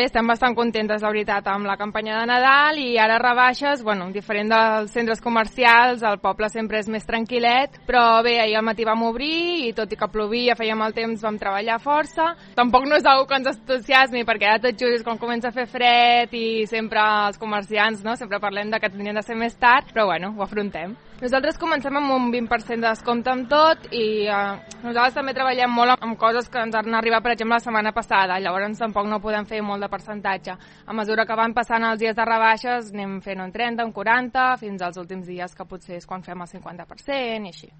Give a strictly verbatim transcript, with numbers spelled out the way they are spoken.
Estem bastant contentes, la veritat, amb la campanya de Nadal i ara rebaixes, bueno, diferent dels centres comercials, el poble sempre és més tranquil·let, però bé, ahir al matí vam obrir i tot i que plovia, feia mal temps, vam treballar força. Tampoc no és una que ens entusiasmi perquè ara tot just quan comença a fer fred i sempre els comerciants, no?, sempre parlem de que tindrien de ser més tard, però bueno, ho afrontem. Nosaltres comencem amb un vint per cent de descompte amb tot i eh, nosaltres també treballem molt amb coses que ens han arribat, per exemple, la setmana passada, llavors tampoc no podem fer molt de percentatge. A mesura que van passant els dies de rebaixes anem fent un trenta, un quaranta, fins als últims dies que potser és quan fem el cinquanta per cent i així.